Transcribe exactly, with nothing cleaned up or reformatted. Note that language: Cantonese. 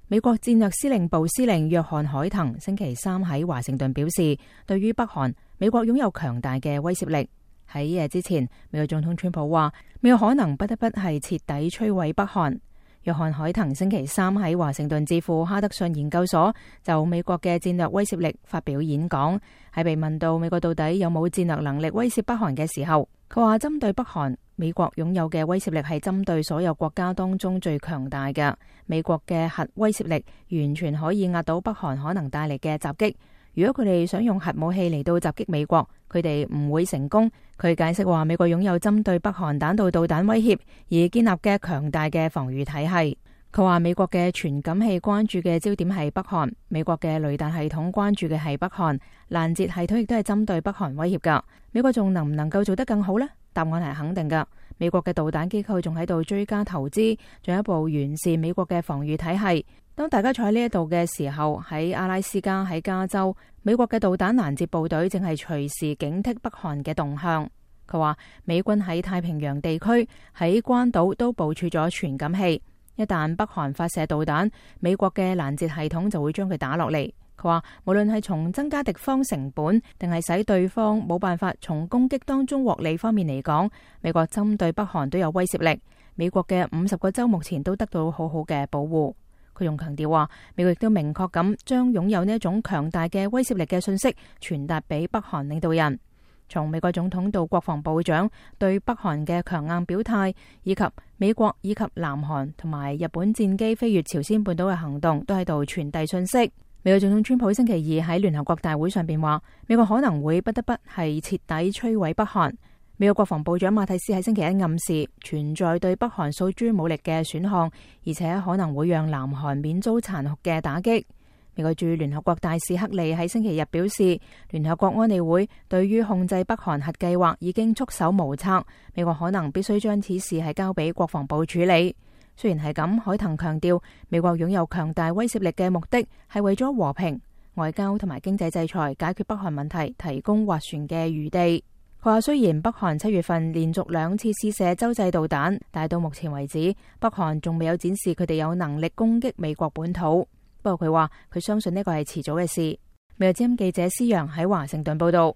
美國戰略司令部司令約翰海騰星期三喺華盛頓表示，對於北韓，美國擁有強大嘅威懾力。喺夜之前，美國總統川普話，美國可能不得不係徹底摧毀北韓。約翰海騰星期三喺華盛頓智庫哈德遜研究所就美國嘅戰略威懾力發表演講，喺被問到美國到底有冇戰略能力威懾北韓嘅時候，佢話針對北韓，美國擁有嘅威懾力係針對所有國家當中最強大嘅。美國嘅核威懾力完全可以壓倒北韓可能帶嚟嘅襲擊。如果佢哋想用核武器嚟到襲擊美國，佢哋唔會成功。佢解釋話，美國擁有針對北韓彈道導彈威脅而建立嘅強大嘅防禦體系。佢話美國嘅傳感器關注嘅焦點係北韓，美國嘅雷達系統關注嘅係北韓，攔截系統亦都係針對北韓威脅噶。美國仲能唔能夠做得更好呢？答案係肯定噶。美國嘅導彈機構仲喺度追加投資，進一步完善美國嘅防禦體系。當大家坐喺呢一度嘅時候，喺阿拉斯加、喺加州，美國嘅導彈攔截部隊正係隨時警惕北韓嘅動向。佢話美軍喺太平洋地區、喺關島都部署咗傳感器，一旦北韓發射導彈，美國嘅攔截系統就會將佢打落嚟。佢話無論係從增加敵方成本，定係使對方冇辦法從攻擊當中獲利方面嚟講，美國針對北韓都有威懾力。美國嘅五十個州目前都得到好好嘅保護。佢仲強調話，美國亦都明確咁將擁有呢一種強大嘅威懾力嘅信息傳達俾北韓領導人。從美國總統到國防部長對北韓嘅強硬表態，以及美國以及南韓同埋日本戰機飛越朝鮮半島嘅行動，都喺度傳遞信息。美國總統川普星期二喺聯合國大會上邊話，美國可能會不得不係徹底摧毀北韓。美國國防部長馬蒂斯喺星期一暗示存在對北韓訴諸武力嘅選項，而且可能會讓南韓免遭殘酷嘅打擊。美國駐聯合國大使克利喺星期日表示，聯合國安理會對於控制北韓核計劃已經束手無策，美國可能必須將此事係交俾國防部處理。雖然係咁，海騰強調美國擁有強大威懾力嘅目的係為咗和平、外交同埋經濟制裁解決北韓問題提供斡旋嘅餘地。佢話雖然北韓七月份連續兩次試射洲際導彈，但係到目前為止，北韓仲未有展示佢哋有能力攻擊美國本土。不過佢話佢相信呢個係遲早嘅事。美國之音記者施洋喺華盛頓報道。